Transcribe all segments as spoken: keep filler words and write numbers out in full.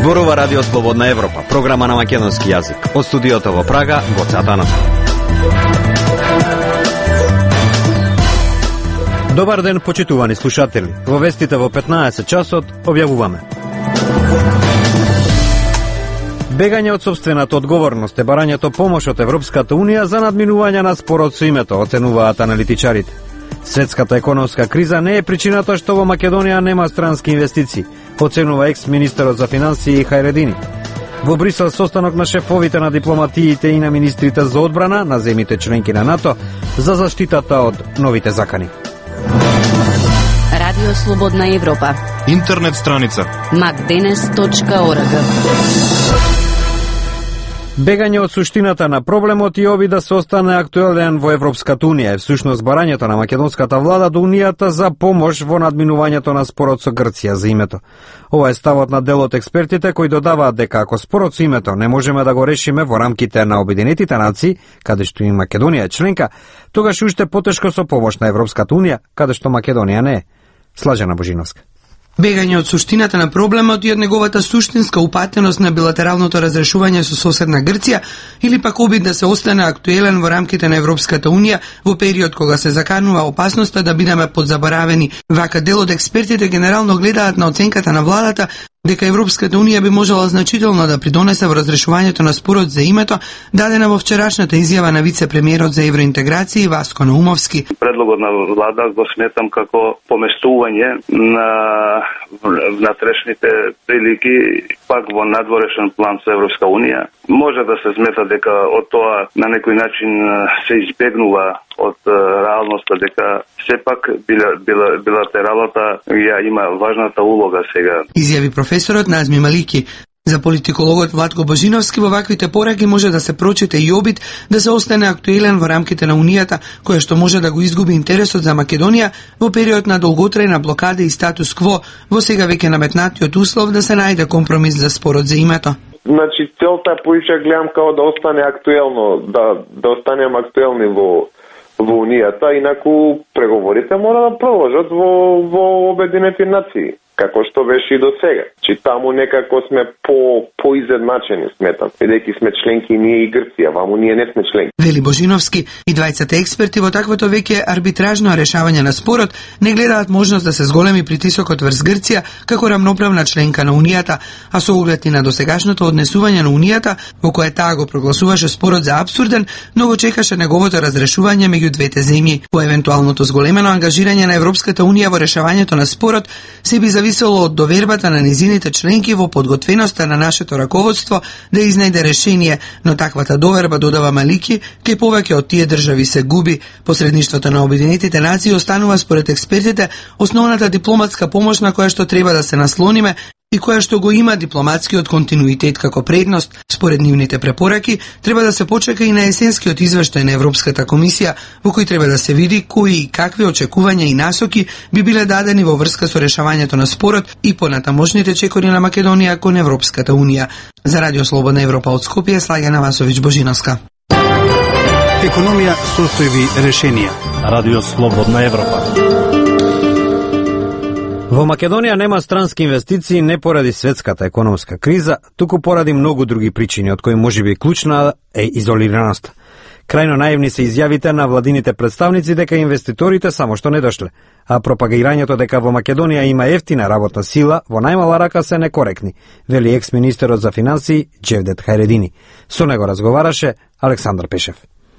Зборува Радио Слободна Европа, програма на македонски јазик. Од студиото во Прага, Гоце Атанасов. Добар ден, почитувани слушатели. Во вестите во петнаесет часот објавуваме: бегање од сопствената одговорност е барањето помош од Европската Унија за надминување на спорот со името, оценуваат аналитичарите. Светската економска криза не е причината што во Македонија нема странски инвестиции, оценува екс-министерот за финансии Хајредини. Во Брисел состанок на шефовите на дипломатиите и на министрите за одбрана на земјите членки на НАТО за заштитата од новите закани. Радио Слободна Европа. Интернет страница макденес точка орг. Бегање од суштината на проблемот и оби да се остане актуелен во Европската Унија е всушност барањето на македонската влада до Унијата за помош во надминувањето на спорот со Грција за името. Ова е ставот на дел од експертите кои додаваат дека ако спорот со името не можеме да го решиме во рамките на Обединетите нации, каде што и Македонија е членка, тогаш уште потешко со помош на Европската Унија, каде што Македонија не е. Слажена Божиновска. Бегање од суштината на проблемот и од неговата суштинска упатеност на билатералното разрешување со соседна Грција или пак обид да се остане актуелен во рамките на Европската Унија во период кога се заканува опасноста да бидеме подзаборавени. Вака дел од експертите генерално гледаат на оценката на владата дека Европската Унија би можела значително да придонесе во разрешувањето на спорот за името, дадена во вчерашната изјава на вице-премиерот за евроинтеграција Васко Наумовски. Предлогот на влада го сметам како поместување на внатрешните прилики пак во надворешен план со Европска Унија. Може да се смета дека од тоа на некој начин се избегнува од реалноста дека сепак била, била, билатералата ја има важната улога сега. Изјави професорот Назми Малики. За политикологот Владко Божиновски во ваквите пораки може да се прочите и обид да се остане актуелен во рамките на Унијата, која што може да го изгуби интересот за Македонија во период на долготрајна блокада и статус кво, во сега веќе наметнатиот услов да се најде компромис за спорот за името. Значи, целта е поише гледам како да остане актуелно, да, да останеме актуелни во во Унијата, инаку преговорите мора да продолжат во, во Обединети нации, како што беше и до сега. Чи таму некако сме по поизедначени, сметам, бидејќи сме членки ние и Грција, ваму ние не сме членки. Вели Божиновски, и двајцата експерти во таквото веќе арбитражно решавање на спорот не гледаат можност да се зголеми притисокот врз Грција како рамноправна членка на Унијата, а со оглед и на досегашното однесување на Унијата, во кое таа го прогласуваше спорот за апсурден, но го чекаше неговото разрешување меѓу двете земји. По евентуалното зголемено ангажирање на Европската Унија во решавањето на спорот се би зависело од довербата на низините членки во подготвеноста на нашето раководство да изнајде решение, но таквата доверба, додава Малики, кај повеќе од тие држави се губи. Посредништвото на Обединетите нации останува според експертите основната дипломатска помош на која што треба да се наслониме и која што го има дипломатскиот континуитет како предност. Според нивните препораки, треба да се почека и на есенскиот извештај на Европската комисија, во кој треба да се види кои и какви очекувања и насоки би биле дадени во врска со решавањето на спорот и понатамошните чекори на Македонија кон Европската Унија. За Радио Слободна Европа од Скопје, Слаѓана Васовиќ Божиновска. Економија, состојби, решенија. Радио Слободна Европа. Во Македонија нема странски инвестиции не поради светската економска криза, туку поради многу други причини, од кои можеби клучна е изолираноста. Крајно наивни се изјавите на владините представници дека инвеститорите само што не дошле, а пропагирањето дека во Македонија има ефтина работна сила во најмала рака се некоректни, вели екс-министерот за финансии Джевдет Хајредини. Со него разговараше Александар Пешев.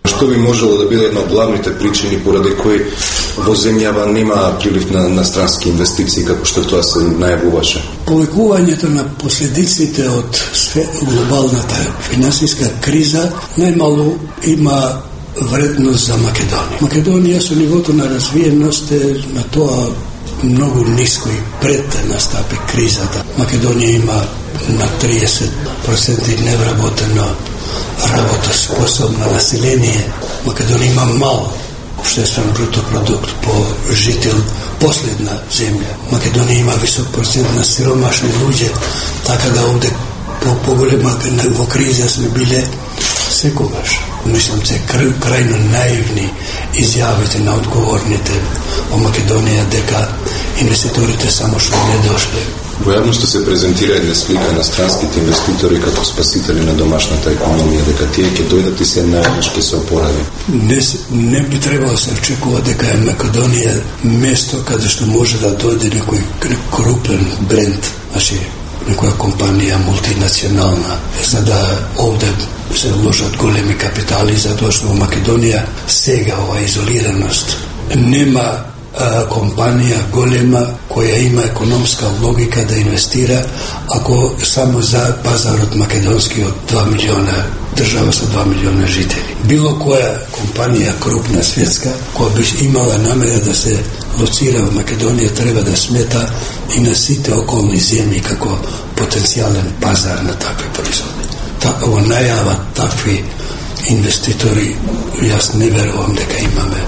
Што би можело да биде една од главните причини поради кои во земјава нема прилив на, на странски инвестиции, како што тоа се најавуваше? Повекувањето на последиците од глобалната финансиска криза најмалу има вредност за Македонија. Македонија со нивото на развиеност е на тоа многу ниско и пред да настапи кризата. Македонија има на триесет проценти невработено работоспособно население. Македонија има мал обштествен бруто продукт по жител, последна земја. Македонија има висок процент на сиромашни луѓе, така да овде по поголема во криза сме биле секогаш. Мислам, че крајно наивни изјавите на одговорните во Македонија дека инвеститорите само што не дошле. Во јавноста се презентира една слика на странските инвеститори како спасители на домашната економија, дека тие ќе дојдат и се најднаш ќе се опорави. Не, не би требало да се очекува дека е Македонија место каде што може да дојде некој крупен бренд, значи некоја компанија мултинационална, за да овде се вложат големи капитали, затоа што во Македонија сега ова изолираност нема а, компанија голема која има економска логика да инвестира ако само за пазарот македонски од два милиона, држава со два милиона жители. Било која компанија крупна светска која би имала намера да се лоцира во Македонија треба да смета и на сите околни земји како потенцијален пазар на такви производи. Така во најава такви инвеститори, јас не верувам дека имаме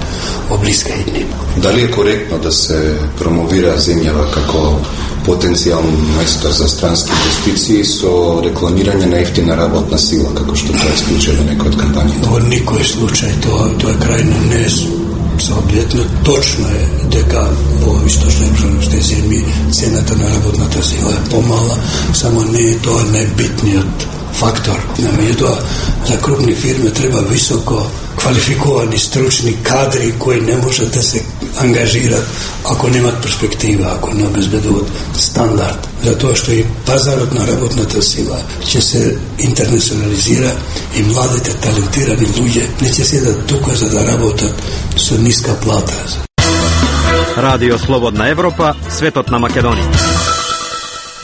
во блиска иднина. Дали е коректно да се промовира земјава како потенцијално место за странски инвестиции со рекламирање на ефтина работна сила, како што тоа исклучува некој од кампањите? Во никој случај тоа, тоа е крајно не соодветно. Точно е дека во источноевропските земји цената на работната сила е помала, само не е тоа најбитниот фактор. Меѓутоа, за крупни фирми треба високо квалификовани стручни кадри кои не можат да се ангажират ако немат перспектива, ако не обезбедуваат стандард. Затоа што и пазарот на работната сила ќе се интернационализира и младите талентирани луѓе не ќе седат тука за да работат со ниска плата. Радио Слободна Европа, светот на Македонија.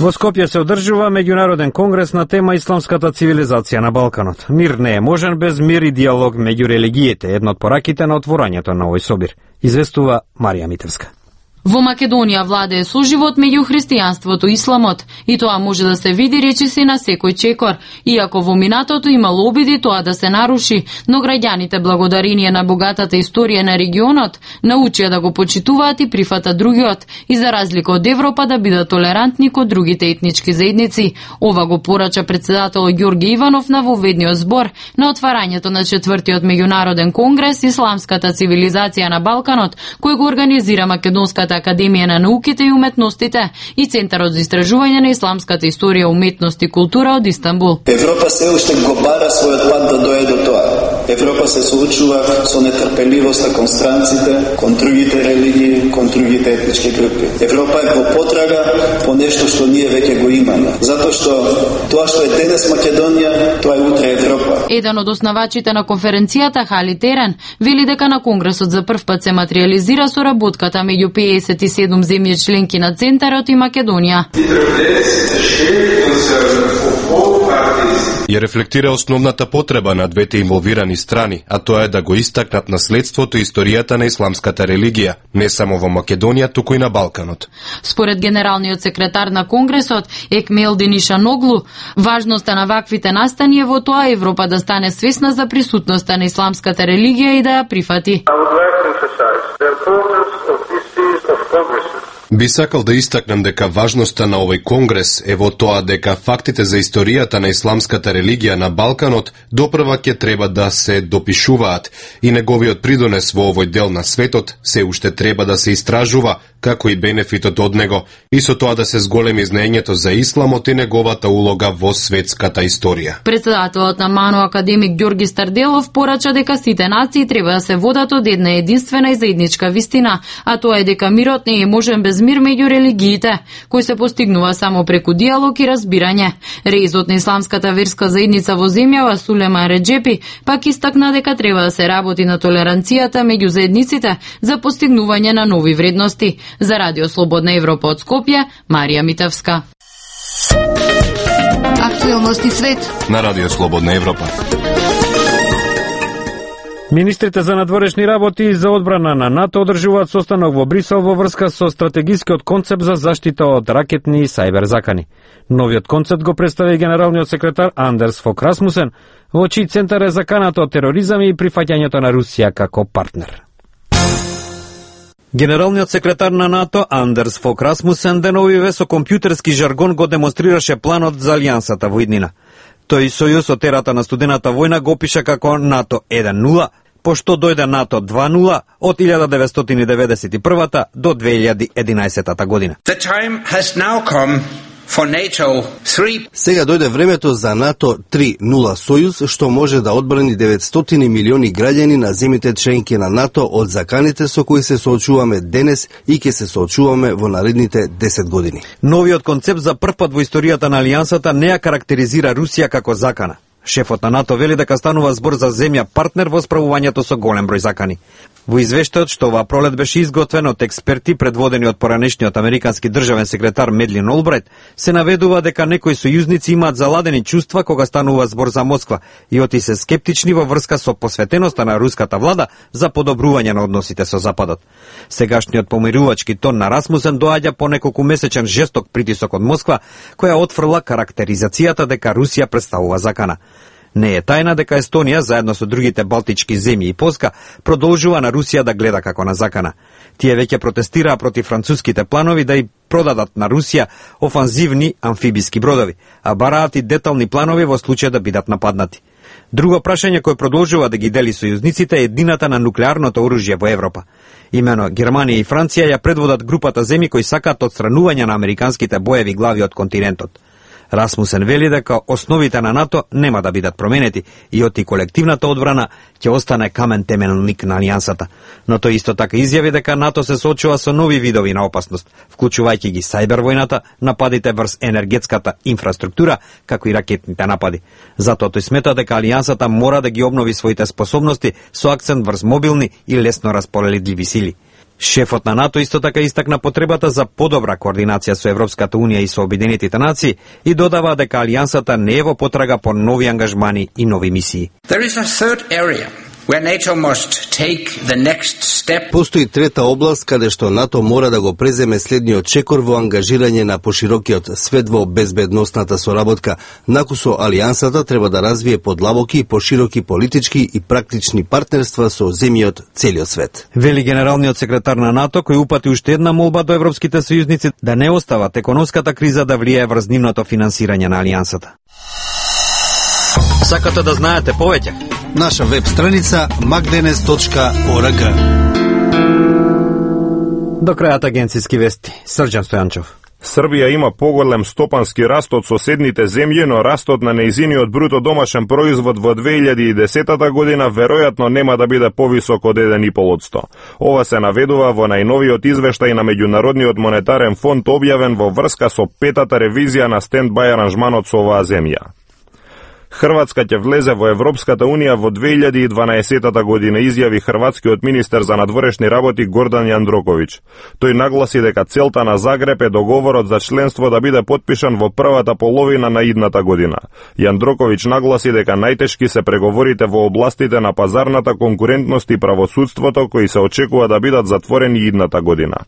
Во Скопје се одржува меѓународен конгрес на тема исламската цивилизација на Балканот. Мир не е можен без мир и диалог меѓу религиите, една од пораките на отворањето на овој собир. Известува Марија Митевска. Во Македонија владее соживот меѓу христијанството и исламот, и тоа може да се види речиси на секој чекор, иако во минатото имало обиди тоа да се наруши, но граѓаните благодарение на богатата историја на регионот научија да го почитуваат и прифатат другиот, и за разлика од Европа да бидат толерантни кон другите етнички заедници. Ова го порача председател Ѓорги Иванов на воведниот збор на отварањето на четвртиот меѓународен конгрес Исламската цивилизација на Балканот, кој го организира Македонската Академија на науките и уметностите и Центарот за истражување на исламската историја, уметност и култура од Истанбул. Европа се уште го бара својот пат да дојде до тоа. Европа се соочува со нетрпеливост кон странците, кон другите религии, кон другите етнички групи. Европа е во потрага по нешто што ние веќе го имаме. Затоа што тоа што е денес Македонија, тоа е утре Европа. Еден од основачите на конференцијата, Хали Терен, вели дека на конгресот за прв пат се материализира соработката меѓу педесет и седум земји членки на Центарот и Македонија. Ја рефлектира основната потреба на двете инволвирани страни, а тоа е да го истакнат наследството и историјата на исламската религија, не само во Македонија, туку и на Балканот. Според генералниот секретар на Конгресот, Екмелдин Ишаноглу, важноста на ваквите настани е во тоа Европа да стане свесна за присутноста на исламската религија и да ја прифати. Би сакал да истакнам дека важноста на овој конгрес е во тоа дека фактите за историјата на исламската религија на Балканот допрва ќе треба да се допишуваат и неговиот придонес во овој дел на светот се уште треба да се истражува, како и бенефитот од него, и со тоа да се зголеми знаењето за исламот и неговата улога во светската историја. Председателот на МАНО академик Ѓорги Старделов порача дека сите нации треба да се водат од една единствена и заедничка вистина, а тоа е дека мирот не е можен без мир меѓу религиите, кој се постигнува само преку диалог и разбирање. Реизот на исламската верска заедница во земјава Сулеман Реджепи пак истакна дека треба да се работи на толеранцијата меѓу заедниците за постигнување на нови вредности. За Радио Слободна Европа од Скопје, Марија Митевска. Актуелности свет на Радио Слободна Европа. Министрите за надворешни работи и за одбрана на НАТО одржуваат состанок во Брисел во врска со стратегискиот концепт за заштита од ракетни и сајбер закани. Новиот концепт го представи генералниот секретар Андерс Фок Расмусен, во чиј центар е заканата од тероризам и прифаќањето на Русија како партнер. Генералниот секретар на НАТО Андерс Фок Расмусен деновиве со компјутерски жаргон го демонстрираше планот за алијансата во иднина. Тој сојуз од ерата на студената војна го опиша како НАТО еден нула, пошто дојде НАТО два нула од илјада деветстотини деветдесет и прва до две илјади и единаесета година. The time has now come for NATO three. Сега дојде времето за НАТО три нула сојуз, што може да одбрани деветстотини милиони граѓани на земјите членки на НАТО од заканите со кои се соочуваме денес и ќе се соочуваме во наредните десет години. Новиот концепт за прв пат во историјата на алијансата не ја карактеризира Русија како закана. Шефот на НАТО вели дека станува збор за земја партнер во справувањето со голем број закани. Во извештајот што оваа пролет беше изготвен од експерти предводени од поранешниот американски државен секретар Медлин Олбрайт, се наведува дека некои сојузници имаат заладени чувства кога станува збор за Москва и оти се скептични во врска со посветеноста на руската влада за подобрување на односите со Западот. Сегашниот помирувачки тон на Расмусен доаѓа по неколку месечен жесток притисок од Москва, која отфрла карактеризацијата дека Русија представува закана. Не е тајна дека Естонија, заедно со другите балтички земји и Полска, продолжува на Русија да гледа како на закана. Тие веќе протестираа против француските планови да и продадат на Русија офанзивни амфибиски бродови, а бараат и детални планови во случај да бидат нападнати. Друго прашање кој продолжува да ги дели сојузниците е едината на нуклеарното оружје во Европа. Имено Германија и Франција ја предводат групата земји кои сакаат отстранување на американските боеви глави од континентот. Расмусен вели дека основите на НАТО нема да бидат променети и оти колективната одбрана ќе остане камен темелник на алијансата. Но тој исто така изјави дека НАТО се соочува со нови видови на опасност, вклучувајќи ги сајбервојната, нападите врз енергетската инфраструктура, како и ракетните напади. Затоа тој смета дека алијансата мора да ги обнови своите способности со акцент врз мобилни и лесно распоредливи сили. Шефот на НАТО исто така истакна потребата за подобра координација со Европската Унија и со Обединетите нации и додава дека алијансата не е во потрага по нови ангажмани и нови мисии. There is a third area where NATO must take the next step. Постои трета област каде што НАТО мора да го преземе следниот чекор во ангажирање на поширокиот свет во безбедносната соработка. Накусо алијансата треба да развие подлабоки и пошироки политички и практични партнерства со земји целиот свет. Вели генералниот секретар на НАТО, кој упати уште една молба до европските сојузници да не остават економската криза да влијае врз нивното финансирање на алијансата. Сакате да знаете повеќе? Наша веб страница макденес точка орг. До крајот агенцијски вести. Срđan Стојанчов. Србија има поголем стопански раст од соседните земји, но растот на нејзиниот бруто домашен производ во две илјади и десета година веројатно нема да биде повисок од еден и пол одсто. Ова се наведува во најновиот извештај на Меѓународниот монетарен фонд објавен во врска со петата ревизија на стендбај аранжманот со оваа земја. Хрватска ќе влезе во Европската Унија во две илјади и дванаесета година, изјави хрватскиот министер за надворешни работи Гордан Јандроковиќ. Тој нагласи дека целта на Загреб е договорот за членство да биде потпишан во првата половина на идната година. Јандроковиќ нагласи дека најтешки се преговорите во областите на пазарната конкурентност и правосудството, кои се очекува да бидат затворени идната година.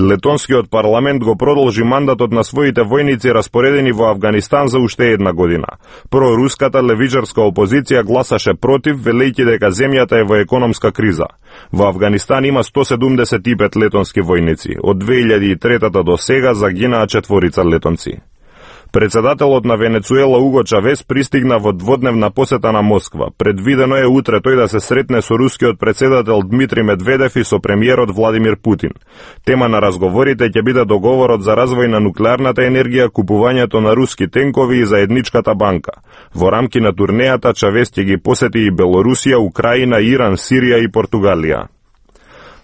Летонскиот парламент го продолжи мандатот на своите војници распоредени во Авганистан за уште една година. Проруската левичарска опозиција гласаше против, велејќи дека земјата е во економска криза. Во Авганистан има сто седумдесет и пет летонски војници. Од две илјади и трета до сега загинаа четворица летонци. Председателот на Венецуела Уго Чавес пристигна во дводневна посета на Москва. Предвидено е утре тој да се сретне со рускиот председател Дмитрий Медведев и со премиерот Владимир Путин. Тема на разговорите ќе биде договорот за развој на нуклеарната енергија, купувањето на руски тенкови и заедничката банка. Во рамки на турнејата Чавес ќе ги посети и Белорусија, Украина, Иран, Сирија и Португалија.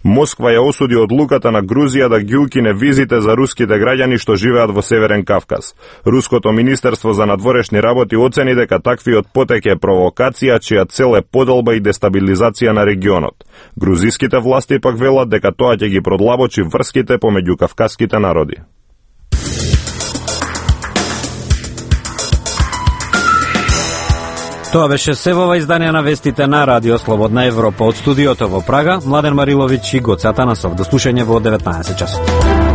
Москва ја осуди одлуката на Грузија да ги укине визите за руските граѓани што живеат во Северен Кавказ. Руското министерство за надворешни работи оцени дека таквиот потек е провокација чија цел е поделба и дестабилизација на регионот. Грузиските власти пак велат дека тоа ќе ги продлабочи врските помеѓу кавказските народи. Тоа беше се во ова издание на вестите на Радио Слободна Европа. Од студиото во Прага, Младен Мариловиќ и Гоце Атанасов. До слушање во деветнаесет часот.